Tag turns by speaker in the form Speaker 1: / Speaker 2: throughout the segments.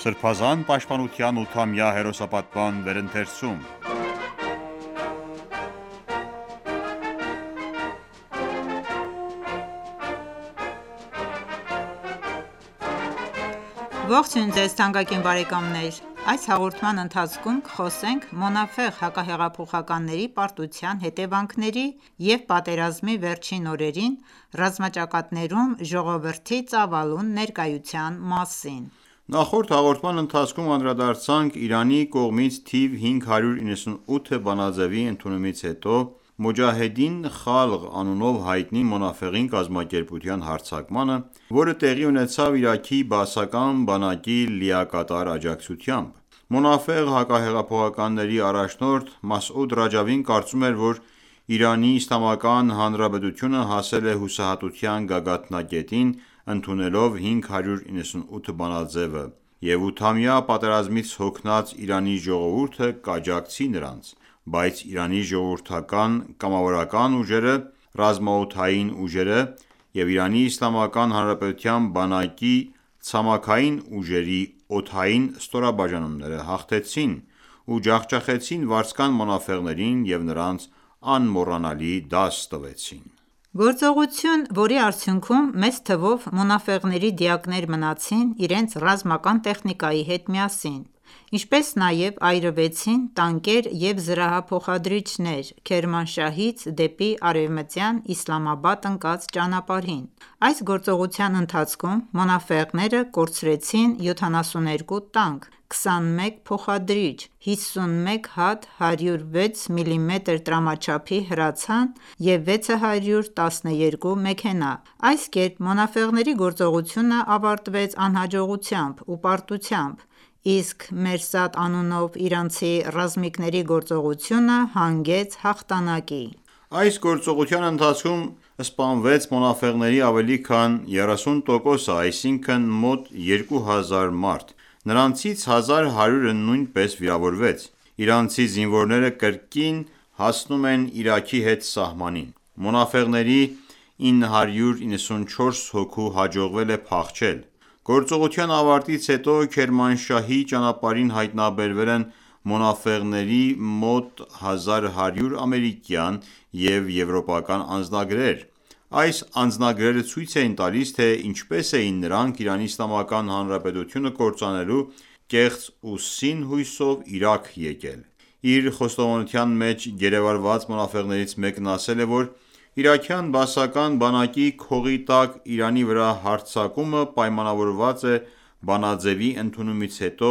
Speaker 1: Սրբազան պաշտպանության 8-ամյա հերոսապատման վերընթերցում։
Speaker 2: Ողջույն ձեզ թանկագին բարեկամներ: Այս հաղորդման ընթացքում կխոսենք Մոնաֆեղ հակահեղափոխականների պարտության հետևանքների և պատերազմի վերջին օրերին ռազմաճակատներում ժողովրդի ծավալուն ներկայության մասին:
Speaker 1: Նախորդ հաղորդման ընթացքում անդրադարձանք Իրանի կողմից թիվ 598 բանաձեւի ընդունումից հետո Մոջահեդին Խալղ անունով հայտնի Մոնաֆեղին կազմակերպության հարձակմանը, որը տեղի ունեցավ Իրաքի բաասական բանակի լիակատար աջակցությամբ: Մոնաֆեղ հակահեղափոխականների առաջնորդ Մասուդ Ռաջավին կարծում էր, որ ԻԻՀ-ն հասել է հուսահատության գագաթնակետին ընդունելով 598 բանաձեւը և 8-ամյա պատերազմից հոգնած Իրանի ժողովուրդը կաջակցի նրանց, բայց Իրանի ժողովրդական կամավորական ուժերը, ռազմաօդային ուժերը և ԻԻՀ բանակի ցամաքային ուժերի օդային ստորաբաժանումները հաղթեցին ու ջախջախեցին վարձկան մոնաֆեղներին և նրանց անմոռանալի դաս տվեցին:
Speaker 2: Գործողություն, որի արդյունքում մեծ թվով մոնաֆեղների դիակներ մնացին իրենց ռազմական տեխնիկայի հետ միասին, ինչպես նաև այրվեցին տանկեր և զրահափոխադրիչներ Քերմանշահից դեպի արևմտյան Իսլամաբադ ընկած ճանապարհին: Այս գործողության ընթացքում մոնաֆեղները կորցրեցին 72 տանկ, 21 փոխադրիչ, 51 հատ 106 մմ տրամաչափի հրացան և 612 մեքենա: Այս կերպ մոնաֆեղների գործողությունը ավարտվեց անհաջողությամբ ու պարտությամբ, իսկ Մերսադ անունով իրանցի ռազմիկների գործողությունը հանգեց հաղթանակի:
Speaker 1: Այս գործողության ընթացքում սպանվեց մոնաֆեղների ավելի քան 30%-ը, այսինքն մոտ 2000 մարդ: Նրանցից 1100-ը նույնպես վիրավորվեց: Իրանցի զինվորները կրկին հասնում են Իրաքի հետ սահմանին: Մոնաֆեղների 994 հոգու հաջողվել է փախչել: Գործողության ավարտից հետո Քերմանշահի ճանապարհին հայտնաբերվել են մոնաֆեղների մոտ 1100 ամերիկյան և եվրոպական անձնագրեր: Այս անձնագրերը ցույց էին տալիս, թե ինչպես էին նրանք ԻԻՀ-ն կործանելու կեղծ ու սին հույսով Իրաք եկել: Իր խոստովանության մեջ գերեվարված մոնաֆեղներից մեկն ասել է, որ իրաքյան բաասական բանակի քողի տակ Իրանի վրա հարձակումը պայմանավորված է բանաձեւի ընդունումից հետո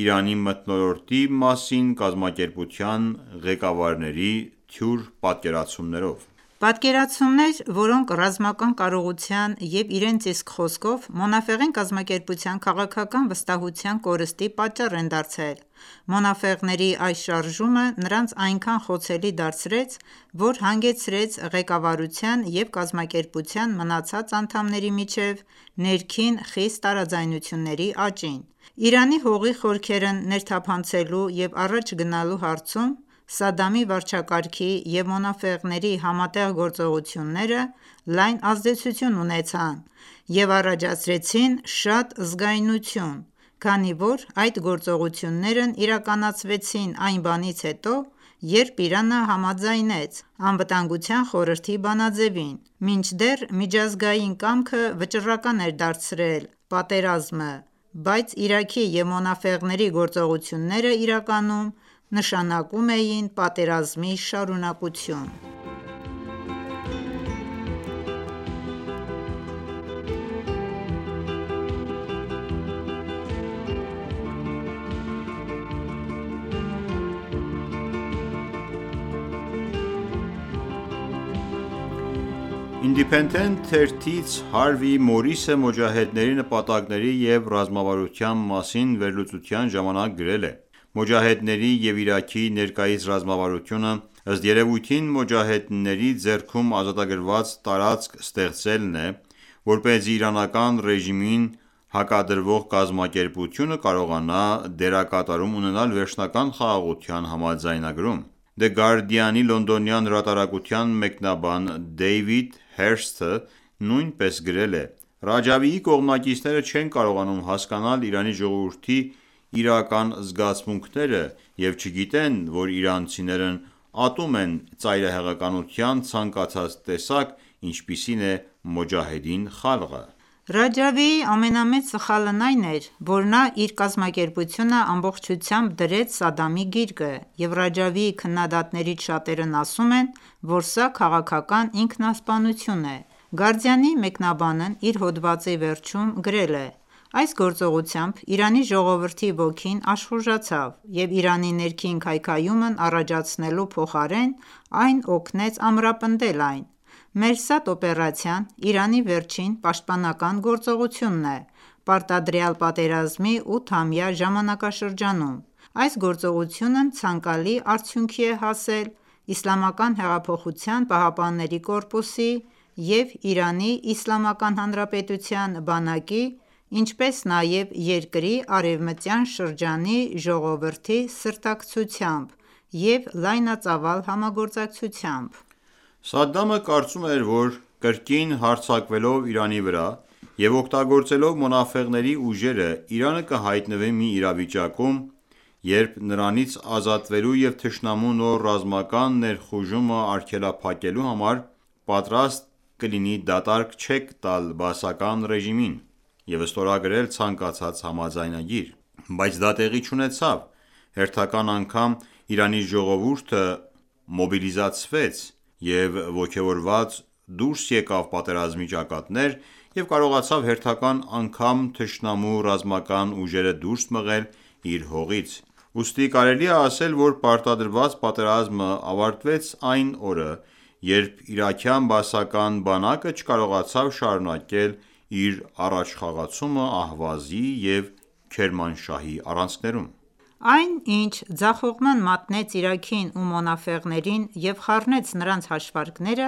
Speaker 1: Իրանի մթնոլորտի մասին կազմակերպության ղեկավարների թյուր պատկերացումներով:
Speaker 2: Պատկերացումներ, որոնք ռազմական կարողության և իրենց իսկ խոսքով Մոնաֆեղին կազմակերպության քաղաքական վստահության կորստի պատճառ են դարձել: Մոնաֆեղների այս շարժումը նրանց այնքան խոցելի դարձրեց, որ հանգեցրեց ղեկավարության և կազմակերպության մնացած անդամների միջև ներքին խիստ տարաձայնությունների աճին: Իրանի հողի խորքերն ներթափանցելու և առաջ գնալու հարցում Սադամի վարչակարգի և մոնաֆեղների համատեղ գործողությունները լայն ազդեցություն ունեցան և առաջացրեցին շատ զգայունություն, քանի որ այդ գործողություններն իրականացվեցին այն բանից հետո, երբ Իրանը համաձայնեց ԱԽ բանաձևին, մինչդեռ միջազգային կամքը վճռական էր դարձրել պատերազմը, բայց Իրաքի և մոնաֆեղների գործողությունները իրականում նշանակում էին պատերազմի շարունակություն:
Speaker 1: Independent թերթից Հարվի Մորիսը մոջահեդների նպատակների և ռազմավարության մասին վերլուծության ժամանակ գրել է. «Մոջահեդների և Իրաքի ներկայիս ռազմավարությունը ըստ երևույթին մոջահեդների ձեռքում ազատագրված տարածք ստեղծելն է, որպեսզի իրանական ռեժիմին հակադրվող կազմակերպությունը կարողանա դերակատարում ունենալ վերջնական խաղաղության համաձայնագրում»: The Guardian-ի լոնդոնյան հրատարակության մեկնաբան Դեյվիդ Հերսթը նույնպես գրել է. Ռաջավիի կողմնակիցները չեն կարողանում հասկանալ Իրանի ժողովրդի իրական զգացմունքները և չգիտեն, որ իրանցիներն ատում են ծայրահեղականության ցանկացած տեսակ, ինչպիսին է Մոջահեդին Խալղը:
Speaker 2: Ռաջավիի ամենամեծ սխալն այն էր, որ նա իր կազմակերպությունը ամբողջությամբ դրեց Սադամի գիրկը, և Ռաջավիի քննադատներից շատերն ասում են, որ սա քաղաքական ինքնասպանություն է: Գարդիանի մեկնաբանն իր հոդվածի վերջում գրել է. «Այս գործողությամբ Իրանի ժողովրդի ոգին աշխուժացավ և Իրանի ներքին քայքայումն առաջացնելու փոխարեն այն օգնեց ամրապնդել այն: Մերսադ օպերացիան Իրանի վերջին պաշտպանական գործողությունն է պարտադրյալ պատերազմի 8-ամյա ժամանակաշրջանում: Այս գործողությունն ցանկալի արդյունքի է հասել ԻՀՊԿ-ի և ԻԻՀ բանակի, ինչպես նաև երկրի արևմտյան շրջանի ժողովրդի սրտակցությամբ և լայնածավալ համագործակցությամբ»:
Speaker 1: Սադամը կարծում էր, որ կրկին հարձակվելով Իրանի վրա և օգտագործելով Մոնաֆեղների ուժերը, Իրանը կհայտնվի մի իրավիճակում, երբ նրանից ազատվելու և թշնամու նոր ռազմական ներխուժումը արգելափակելու համար պատրաստ կլինի դատարկ չեք տալ բաասական ռեժիմին և ստորագրել ցանկացած համաձայնագիր: Բայց դա տեղի չունեցավ: Հերթական անգամ Իրանի ժողովուրդը մոբիլիզացվեց և ոգևորված դուրս եկավ պատերազմի ճակատներ և կարողացավ հերթական անգամ թշնամու ռազմական ուժերը դուրս մղել իր հողից: Ուստի կարելի է ասել, որ պարտադրված պատերազմը ավարտվեց այն օրը, երբ իրաքյան բաասական բանակը չկարողացավ շարունակել իր առաջխաղացումը Ահվազի և Քերմանշահի առանցքներում:
Speaker 2: Այն, ինչ ձախողման մատնեց Իրաքին ու մոնաֆեղներին և խառնեց նրանց հաշվարկները,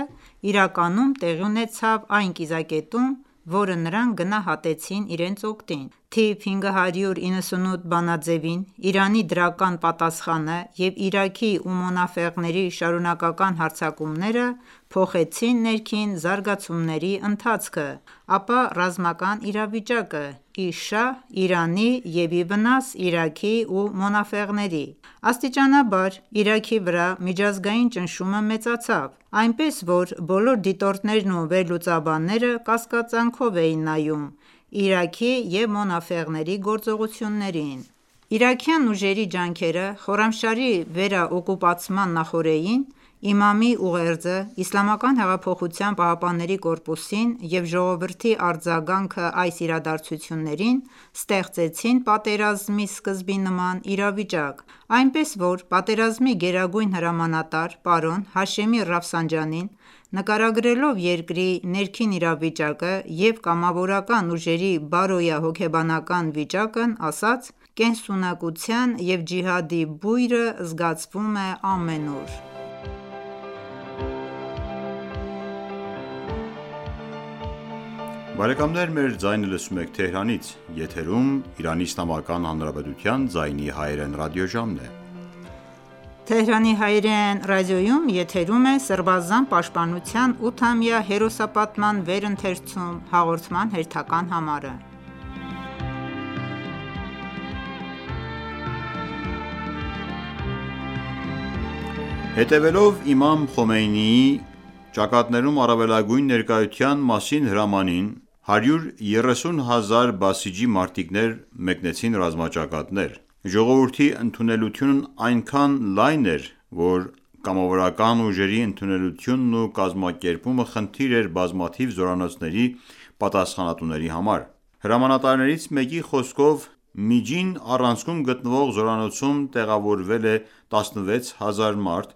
Speaker 2: իրականում տեղի ունեցավ այն կիզակետում, որը նրանք գնահատեցին իրենց օգտին: Թիվ 598 բանաձևին Իրանի դրական պատասխանը և Իրաքի ու մոնաֆեղների շարունակական հարձակումները փոխեցին ներքին զարգացումների ընթացքը, ապա ռազմական իրավիճակը ի շահ Իրանի և ի վնաս Իրաքի ու մոնաֆեղների: Աստիճանաբար Իրաքի վրա միջազգային ճնշումը մեծացավ, այնպես որ բոլոր դիտորդներն ու վերլուծաբանները կասկածանքով էին նայում Իրաքի և մոնաֆեղների գործողություններին: Իրաքյան ուժերի ջանքերը Խորամշահրի վերաօկուպացման նախօրեին Իմամի ուղերձը ԻՀՊԿ-ին և ժողովրդի արձագանքը այս իրադարձություններին ստեղծեցին պատերազմի սկզբի նման իրավիճակ, այնպես որ պատերազմի գերագույն հրամանատար պարոն Հաշեմի նկարագրելով երկրի ներքին իրավիճակը և կամավորական ուժերի բարոյահոգեբանական վիճակն ասաց. «Կենսունակության և ջիհադի բույրը զգացվում է ամենուր»:
Speaker 1: Հետևելով իմամ Խոմեյնիի «Ճակատներում առավելագույն ներկայության» մասին հրամանին, 130 հազար բասիջի մարտիկներ մեկնեցին ռազմաճակատներ: Ժողովրդի ընդունելությունն այնքան լայն էր, որ կամավորական ուժերի ընդունելությունն ու կազմակերպումը խնդիր էր բազմաթիվ զորանոցների պատասխանատուների համար: Հրամանատարներից մեկի խոսքով Միջին առանցքում գտնվող զորանոցում տեղավորվել է 16 հազար մարդ,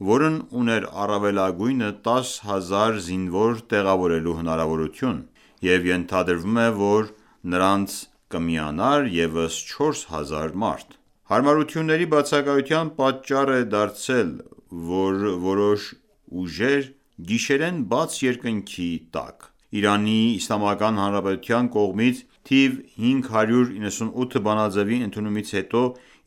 Speaker 1: որն ուներ առավելագույնը 10 հազար զինվոր տեղավորելու հնարավորություն և ենթադրվում է, որ նրանց կմիանար ևս 4 հազար մարդ: Հարմարությունների բացակայության պատճառ է դարձել, որ որոշ ուժեր գիշերեն բաց երկնքի տակ: ԻԻՀ կողմից թիվ 598 բանաձևի ընդունումից հետո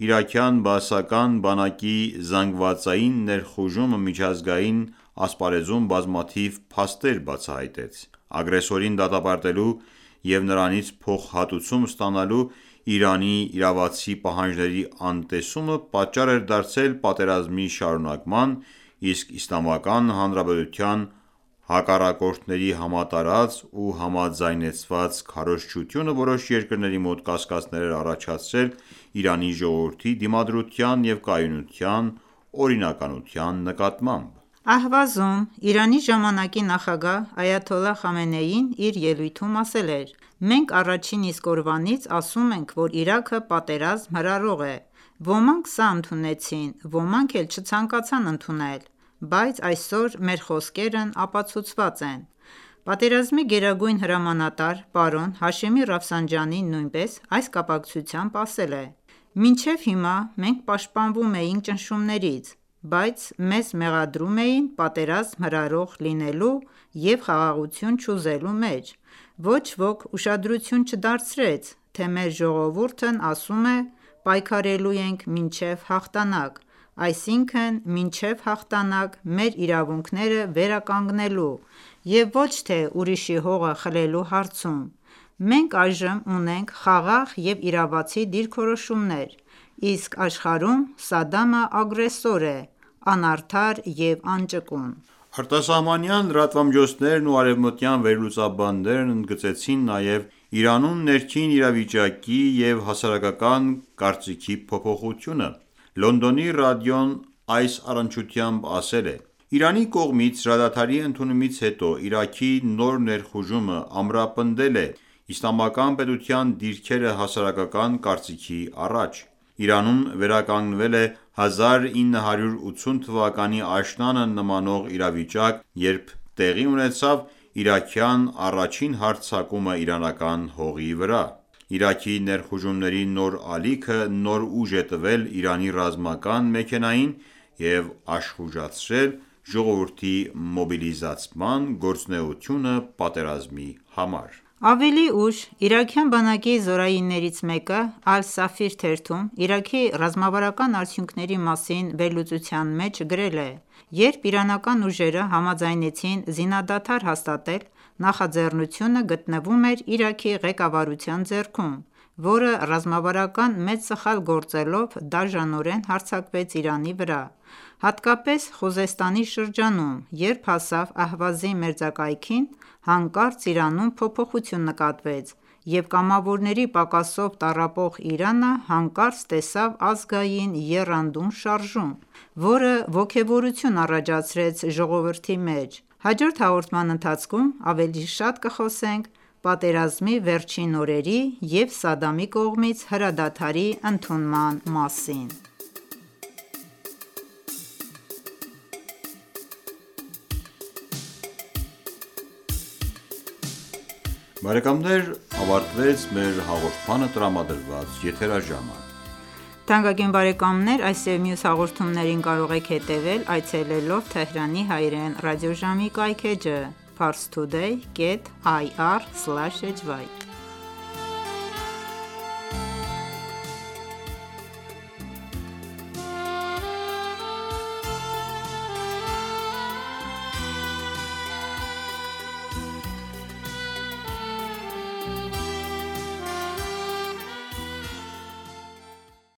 Speaker 1: իրաքյան բաասական բանակի զանգվածային ներխուժումը միջազգային ասպարեզում բազմաթիվ փաստեր բացահայտեց: Ագրեսորին դատապարտելու և նրանից փոխհատուցում ստանալու Իրանի իրավացի պահանջների անտեսումը պատճառ էր դարձել պատերազմի շարունակման, իսկ Իսլամական Հանրապետության հակառակորդների համատարած ու համաձայնեցված քարոզչությունը որոշ երկրների մոտ կասկածներ էր առաջացրել Իրանի ժողովրդի դիմադրության և կայունության օրինականության նկատմամբ:
Speaker 2: Ահվազում Իրանի ժամանակի նախագահ Այաթոլլահ Խամենեին իր ելույթում ասել էր.«Մենք առաջին իսկ օրվանից ասում ենք, որ Իրաքը պատերազմ հրահրող է: Ոմանք սա ընդունեցին, ոմանք էլ չցանկացան ընդունել, բայց այսօր մեր խոսքերն ապացուցված են»: Պատերազմի գերագույն հրամանատար պարոն Հաշեմի նույնպես այս կապակցությամբ ասել է.«Մինչև հիմա մենք պաշտպանվում էինք ճնշումներից, բայց մեզ մեղադրում էին պատերազմ հրահրող լինելու և խաղաղություն չուզելու մեջ: Ոչ ոք ուշադրություն չդարձրեց, թե մեր ժողովուրդն ասում է պայքարելու ենք մինչև հաղթանակ, այսինքն մինչև հաղթանակ մեր իրավունքները վերականգնելու և ոչ թե ուրիշի հողը խլելու հարցում: Մենք այժմ ունենք խաղաղ և իրավացի դիրքորոշումներ, իսկ աշխարհում Սադամը ագրեսոր է, անարդար և անճկուն»:
Speaker 1: Արտասահմանյան լրատվամիջոցներն ու արևմտյան վերլուծաբաններն ընդգծեցին նաև Իրանում ներքին իրավիճակի և հասարակական կարծիքի փոփոխությունը: Լոնդոնի ռադիոն այս առնչությամբ ասել է.«Իրանի կողմից հրադադարի ընդունումից հետո Իրաքի նոր ներխուժումը ամրապնդել է Իսլամական պետության դիրքերը հասարակական կարծիքի առաջ: Իրանում վերականգնվել է 1980 թվականի աշնանը նմանող իրավիճակ, երբ տեղի ունեցավ իրաքյան առաջին հարձակումը իրանական հողի վրա: Իրաքի ներխուժումների նոր ալիքը նոր ուժ է տվել Իրանի ռազմական մեքենային և աշխուժացրել ժողովրդի մոբիլիզացման գործունեությունը պատերազմի համար»:
Speaker 2: Ավելի ուշ իրաքյան բանակի զորայիններից մեկը Al-Safir թերթում Իրաքի ռազմավարական արդյունքների մասին վերլուծության մեջ գրել է.«Երբ իրանական ուժերը համաձայնեցին զինադադար հաստատել, նախաձեռնությունը գտնվում էր Իրաքի ղեկավարության ձեռքում, որը ռազմավարական մեծ սխալ գործելով դաժանորեն հարձակվեց Իրանի վրա, հատկապես Խուզեստանի շրջանում: Երբ հասավ Ահվազի մերձակայքին, հանկարծ Իրանում փոփոխություն նկատվեց և կամավորների պակասով տառապող Իրանը հանկարծ տեսավ ազգային եռանդուն շարժում, որը ոգևորություն առաջացրեց ժողովրդի մեջ: Հաջորդ հաղորդման ընթացքում ավելի շատ կխոսենք պատերազմի վերջին օրերի և Սադամի կողմից հրադադարի ընդունման մասին»:
Speaker 1: Ավարտվեց մեր հաղորդմանը տրամադրված եթերաժամը:
Speaker 2: Թանկագին բարեկամներ այս և մյուս հաղորդումներին կարող եք հետևել այցելելով Թեհրանի հայրեն ռադիոժամի կայք էջը parstoday.ir/hy